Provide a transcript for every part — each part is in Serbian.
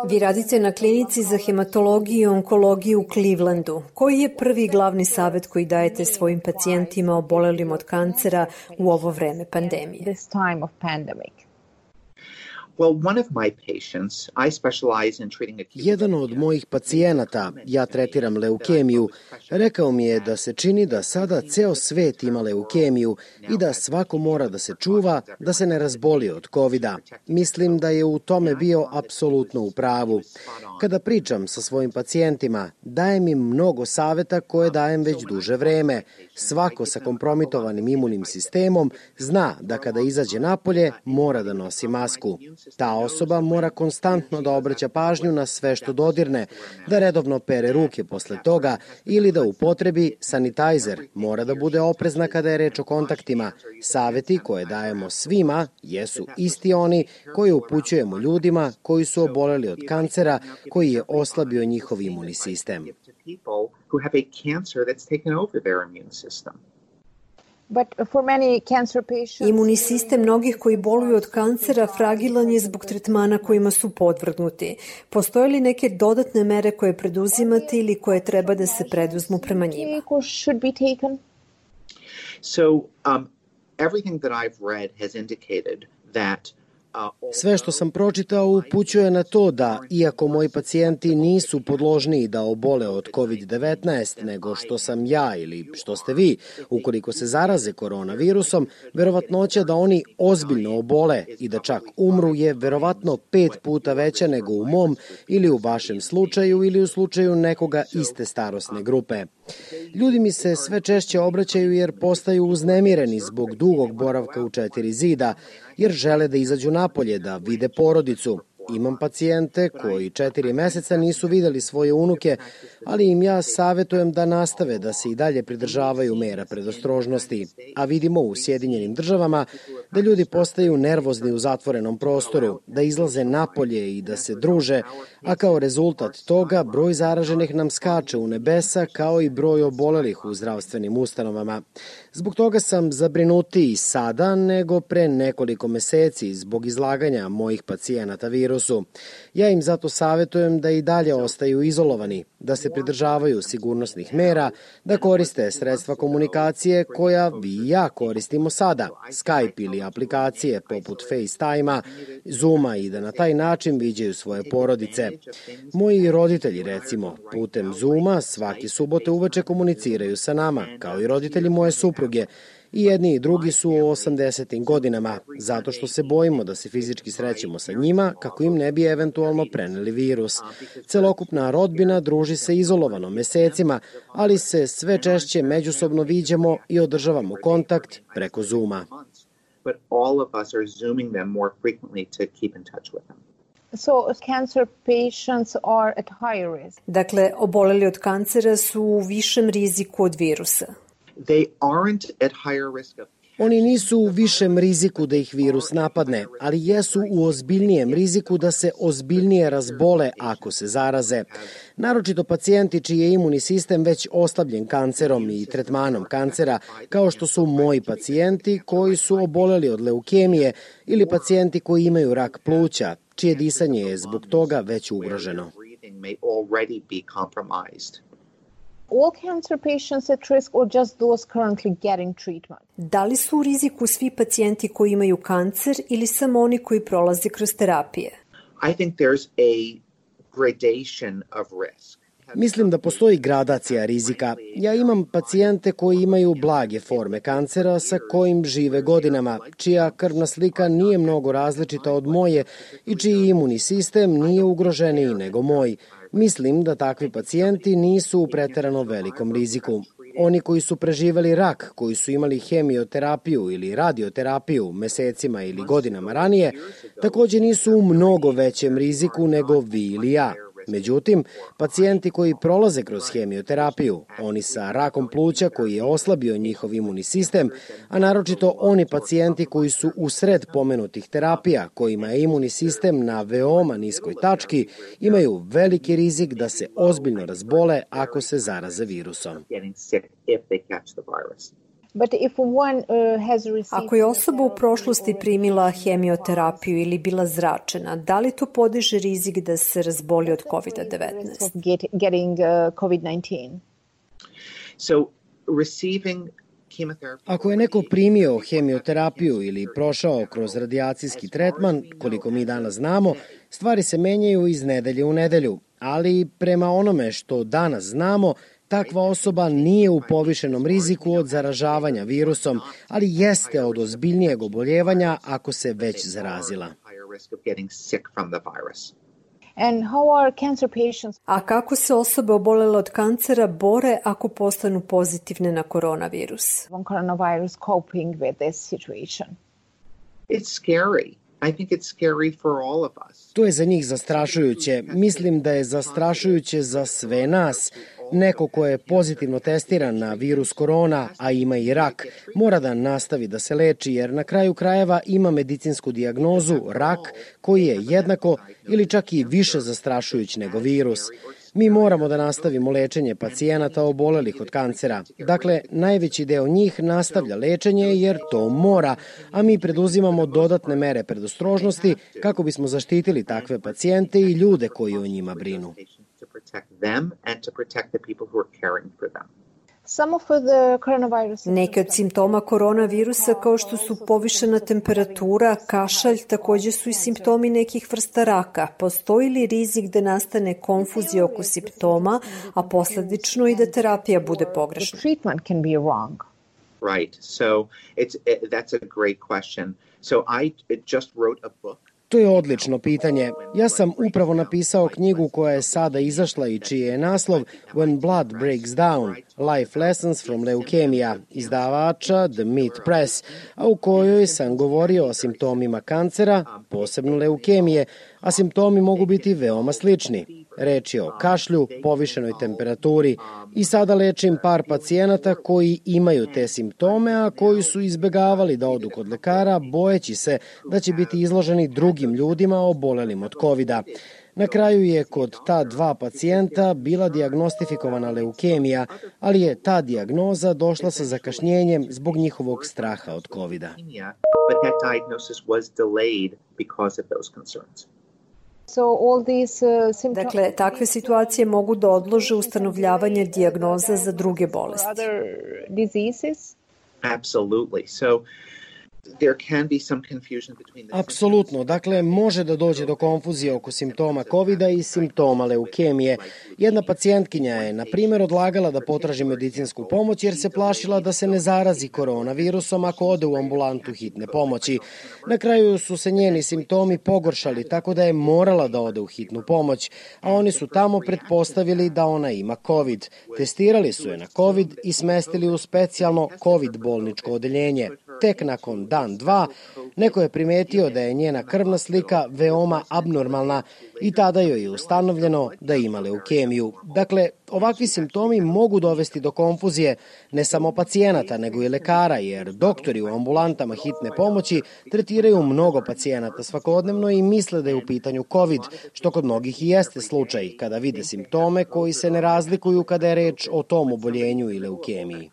Vi radite na klinici za hematologiju i onkologiju u Clevelandu. Koji je prvi glavni savjet koji dajete svojim pacijentima obolelim od kancera u ovo vreme pandemije? Jedan od mojih pacijenata, ja tretiram leukemiju, rekao mi je da se čini da sada ceo svet ima leukemiju i da svako mora da se čuva, da se ne razboli od COVID-a. Mislim da je u tome bio apsolutno u pravu. Kada pričam sa svojim pacijentima, dajem im mnogo saveta koje dajem već duže vreme. Svako sa kompromitovanim imunim sistemom zna da kada izađe napolje mora da nosi masku. Ta osoba mora konstantno da obraća pažnju na sve što dodirne, da redovno pere ruke posle toga ili da upotrebi sanitajzer. Mora da bude oprezna kada je reč o kontaktima. Saveti koje dajemo svima jesu isti oni koje upućujemo ljudima koji su oboleli od kancera, koji je oslabio njihov imunni sistem. Imunni sistem mnogih koji boluju od kancera fragilan je zbog tretmana kojima su podvrgnuti. Postoje li neke dodatne mere koje preduzimate ili koje treba da se preduzmu prema njima? Sve što sam pročitao upućuje na to da, iako moji pacijenti nisu podložniji da obole od COVID-19 nego što sam ja ili što ste vi, ukoliko se zaraze koronavirusom, verovatnoća da oni ozbiljno obole i da čak umru je verovatno 5 puta veća nego u mom ili u vašem slučaju ili u slučaju nekoga iste starosne grupe. Ljudi mi se sve češće obraćaju jer postaju uznemireni zbog dugog boravka u 4 zida, jer žele da izađu napolje, da vide porodicu. Imam pacijente koji 4 meseca nisu videli svoje unuke, ali im ja savetujem da nastave da se i dalje pridržavaju mera predostrožnosti. A vidimo u Sjedinjenim Državama da ljudi postaju nervozni u zatvorenom prostoru, da izlaze napolje i da se druže, a kao rezultat toga broj zaraženih nam skače u nebesa kao i broj obolelih u zdravstvenim ustanovama. Zbog toga sam zabrinutiji sada nego pre nekoliko meseci zbog izlaganja mojih pacijenata virusu. Ja im zato savetujem da i dalje ostaju izolovani, da se pridržavaju sigurnosnih mera, da koriste sredstva komunikacije koja vi i ja koristimo sada, Skype ili aplikacije poput FaceTime-a, Zooma i da na taj način viđaju svoje porodice. Moji roditelji, recimo, putem Zooma svake subote uveče komuniciraju sa nama, kao i roditelji moje supruge. I jedni i drugi su u 80. godinama, zato što se bojimo da se fizički srećemo sa njima kako im ne bi eventualno preneli virus. Celokupna rodbina druži se izolovano mesecima, ali se sve češće međusobno viđamo i održavamo kontakt preko Zooma. Dakle, oboleli od kancera su u višem riziku od virusa. Oni nisu u višem riziku da ih virus napadne, ali jesu u ozbiljnijem riziku da se ozbiljnije razbole ako se zaraze. Naročito pacijenti čiji je imunni sistem već oslabljen kancerom i tretmanom kancera, kao što su moji pacijenti koji su oboleli od leukemije ili pacijenti koji imaju rak pluća, čije disanje je zbog toga već ugroženo. All cancer patients at risk or just those currently getting treatment? Da li su u riziku svi pacijenti koji imaju kancer ili samo oni koji prolaze kroz terapije? I think there's a gradation of risk. Mislim da postoji gradacija rizika. Ja imam pacijente koji imaju blage forme kancera sa kojim žive godinama, čija krvna slika nije mnogo različita od moje i čiji imunni sistem nije ugroženiji nego moj. Mislim da takvi pacijenti nisu u preterano velikom riziku. Oni koji su preživeli rak, koji su imali hemioterapiju ili radioterapiju mesecima ili godinama ranije, takođe nisu u mnogo većem riziku nego vi ili ja. Međutim, pacijenti koji prolaze kroz hemioterapiju, oni sa rakom pluća koji je oslabio njihov imunni sistem, a naročito oni pacijenti koji su u sred pomenutih terapija, kojima je imunni sistem na veoma niskoj tački, imaju veliki rizik da se ozbiljno razbole ako se zaraze virusom. Ako je osoba u prošlosti primila hemioterapiju ili bila zračena, da li to podiže rizik da se razboli od COVID-19? Ako je neko primio hemioterapiju ili prošao kroz radijacijski tretman, koliko mi danas znamo, stvari se menjaju iz nedelje u nedelju, ali prema onome što danas znamo, takva osoba nije u povišenom riziku od zaražavanja virusom, ali jeste od ozbiljnijeg oboljevanja ako se već zarazila. A kako se osobe obolele od kancera bore ako postanu pozitivne na koronavirus? To je za njih zastrašujuće. Mislim da je zastrašujuće za sve nas. Neko ko je pozitivno testiran na virus korona, a ima i rak, mora da nastavi da se leči jer na kraju krajeva ima medicinsku dijagnozu rak koji je jednako ili čak i više zastrašujuć nego virus. Mi moramo da nastavimo lečenje pacijenata obolelih od kancera. Dakle, najveći deo njih nastavlja lečenje jer to mora, a mi preduzimamo dodatne mere predostrožnosti kako bismo zaštitili takve pacijente i ljude koji o njima brinu. Neki od simptoma koronavirusa kao što su povišena temperatura, kašalj, takođe su i simptomi nekih vrsta raka. Postoji li rizik da nastane konfuzija oko simptoma, a posledično i da terapija bude pogrešna? Right. So that's a great question. So I just wrote a book. To je odlično pitanje. Ja sam upravo napisao knjigu koja je sada izašla i čiji je naslov When Blood Breaks Down, Life Lessons from Leukemia, izdavača The Meat Press, a u kojoj sam govorio o simptomima kancera, posebno leukemije, a simptomi mogu biti veoma slični. Reč je o kašlju, povišenoj temperaturi i sada lečim par pacijenata koji imaju te simptome, a koji su izbegavali da odu kod lekara, bojeći se da će biti izloženi drugim ljudima obolelim od COVID-a. Na kraju je kod ta dva pacijenta bila dijagnostifikovana leukemija, ali je ta dijagnoza došla sa zakašnjenjem zbog njihovog straha od COVID-a. Dakle, takve situacije mogu da odlože ustanovljavanje dijagnoza za druge bolesti. Apsolutno. Dakle, može da dođe do konfuzije oko simptoma COVID-a i simptoma leukemije. Jedna pacijentkinja je, na primjer, odlagala da potraži medicinsku pomoć jer se plašila da se ne zarazi koronavirusom ako ode u ambulantu hitne pomoći. Na kraju su se njeni simptomi pogoršali, tako da je morala da ode u hitnu pomoć, a oni su tamo pretpostavili da ona ima COVID. Testirali su je na COVID i smestili u specijalno COVID bolničko odeljenje. Tek nakon dan, dva, neko je primetio da je njena krvna slika veoma abnormalna i tada joj je ustanovljeno da ima leukemiju. Dakle, ovakvi simptomi mogu dovesti do konfuzije ne samo pacijenata, nego i lekara, jer doktori u ambulantama hitne pomoći tretiraju mnogo pacijenata svakodnevno i misle da je u pitanju COVID, što kod mnogih i jeste slučaj kada vide simptome koji se ne razlikuju kada je reč o tom oboljenju i leukemiji.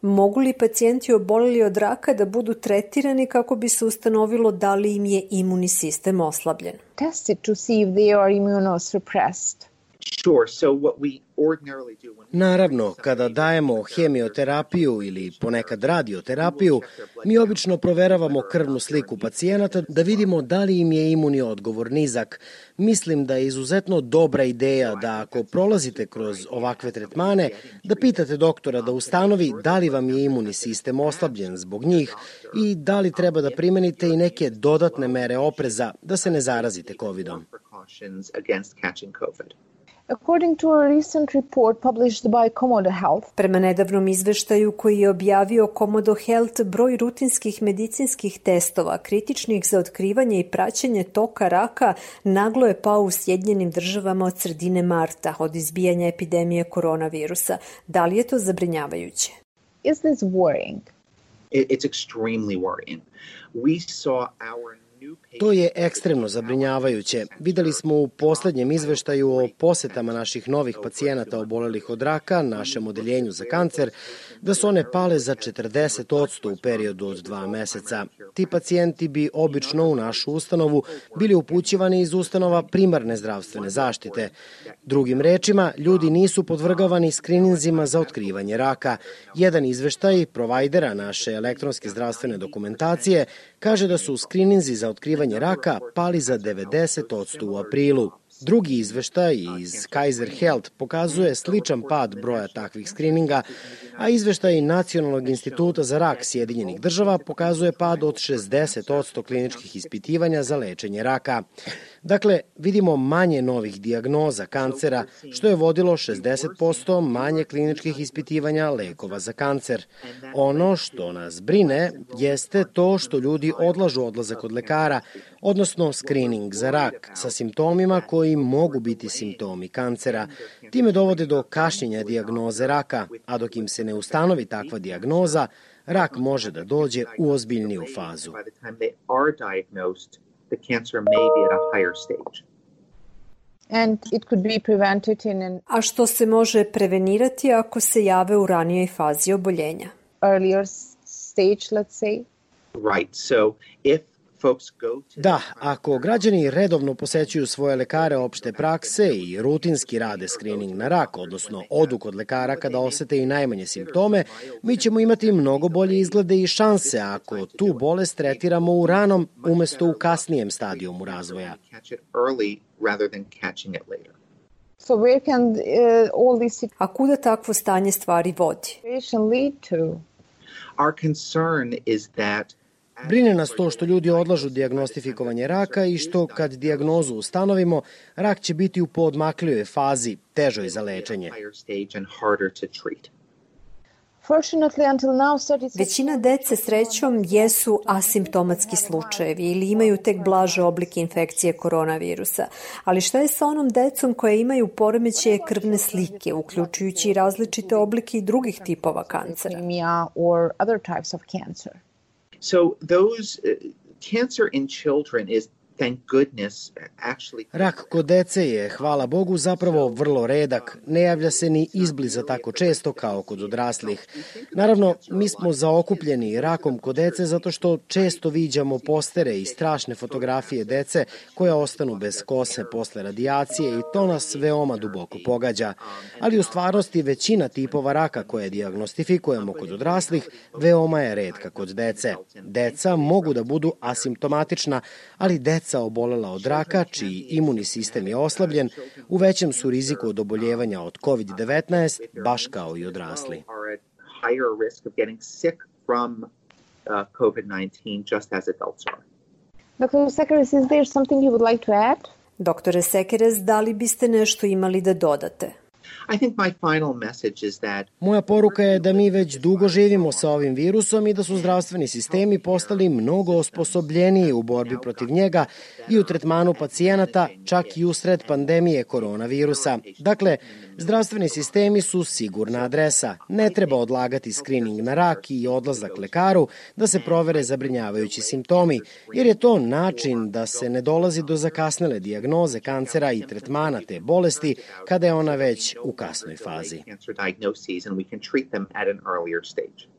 Mogu li pacijenti oboleli od raka da budu tretirani kako bi se ustanovilo da li im je imunni sistem oslabljen? Naravno, kada dajemo hemioterapiju ili ponekad radioterapiju, mi obično proveravamo krvnu sliku pacijenata da vidimo da li im je imunni odgovor nizak. Mislim da je izuzetno dobra ideja da ako prolazite kroz ovakve tretmane, da pitate doktora da ustanovi da li vam je imunni sistem oslabljen zbog njih i da li treba da primenite i neke dodatne mere opreza da se ne zarazite COVID-om. Prema nedavnom izveštaju koji je objavio Komodo Health, broj rutinskih medicinskih testova kritičnih za otkrivanje i praćenje toka raka naglo je pao u Sjedinjenim Državama od sredine marta, od izbijanja epidemije koronavirusa. Da li je to zabrinjavajuće? It's extremely worrying. To je ekstremno zabrinjavajuće. Videli smo u poslednjem izveštaju o posetama naših novih pacijenata obolelih od raka našem odeljenju za kancer da su one pale za 40% u periodu od 2 meseca. Ti pacijenti bi obično u našu ustanovu bili upućivani iz ustanova primarne zdravstvene zaštite. Drugim rečima, ljudi nisu podvrgavani skrininzima za otkrivanje raka. Jedan izveštaj provajdera naše elektronske zdravstvene dokumentacije kaže da su skrininzi za otkrivanje raka pali za 90% u aprilu. Drugi izveštaj iz Kaiser Health pokazuje sličan pad broja takvih skrininga, a izveštaj Nacionalnog instituta za rak Sjedinjenih država pokazuje pad od 60% kliničkih ispitivanja za lečenje raka. Dakle, vidimo manje novih dijagnoza kancera, što je vodilo 60% manje kliničkih ispitivanja lekova za kancer. Ono što nas brine jeste to što ljudi odlažu odlazak od lekara, odnosno skrining za rak sa simptomima koji mogu biti simptomi kancera. Time dovode do kašnjenja dijagnoze raka, a dok im se ne ustanovi takva dijagnoza, rak može da dođe u ozbiljniju fazu. The cancer may be at a higher stage. And it could be prevented in an A što se može prevenirati ako se jave u ranijoj fazi oboljenja? earlier stage, let's say? Right. So if folks go to Da, ako građani redovno posećuju svoje lekare opšte prakse i rutinski rade skrining na rak, odnosno odu kod lekara kada osete i najmanje simptome, mi ćemo imati mnogo bolje izglede i šanse ako tu bolest tretiramo u ranom umesto u kasnijem stadijumu razvoja. catch it early rather than catching it later. So where can all this A kuda takvo stanje stvari vodi? situation lead to? Our concern is that Brine nas to što ljudi odlažu dijagnostifikovanje raka i što kad dijagnozu ustanovimo, rak će biti u poodmaklijoj fazi, težoj za lečenje. higher stage and harder to treat. Fortunately, until now, 36% Većina dece srećom jesu asimptomatski slučajevi ili imaju tek blaže oblike infekcije koronavirusa. Ali šta je sa onom decom koja imaju poremećaje krvne slike, uključujući i različite oblike i drugih tipova kancera? leukemia or other types of cancer? So those cancer in children is, thank goodness, actually Rak kod dece je, hvala Bogu, zapravo vrlo redak. Ne javlja se ni izbliza tako često kao kod odraslih. Naravno, mi smo zaokupljeni rakom kod dece zato što često viđamo postere i strašne fotografije dece koja ostanu bez kose posle radijacije i to nas veoma duboko pogađa. Ali u stvarnosti većina tipova raka koje dijagnostifikujemo kod odraslih veoma je retka kod dece. Deca mogu da budu asimptomatična, ali deca obolela od raka, čiji imunni sistem je oslabljen, u većem su riziku od oboljevanja od COVID-19, baš kao i odrasli. are at higher risk of getting sick from COVID-19 just as adults are. Dr. Sekeres, is there something you would like to add? Doktore Sekeres, da li biste nešto imali da dodate? I think my final message is that Moja poruka je da mi već dugo živimo sa ovim virusom i da su zdravstveni sistemi postali mnogo osposobljeniji u borbi protiv njega i u tretmanu pacijenata, čak i usred pandemije koronavirusa. Dakle, zdravstveni sistemi su sigurna adresa. Ne treba odlagati skrining na rak i odlazak lekaru da se provere zabrinjavajući simptomi, jer je to način da se ne dolazi do zakasnele dijagnoze kancera i tretmana te bolesti kada je ona već u kasnoj fazi. cancer diagnoses and we can treat them at an earlier stage.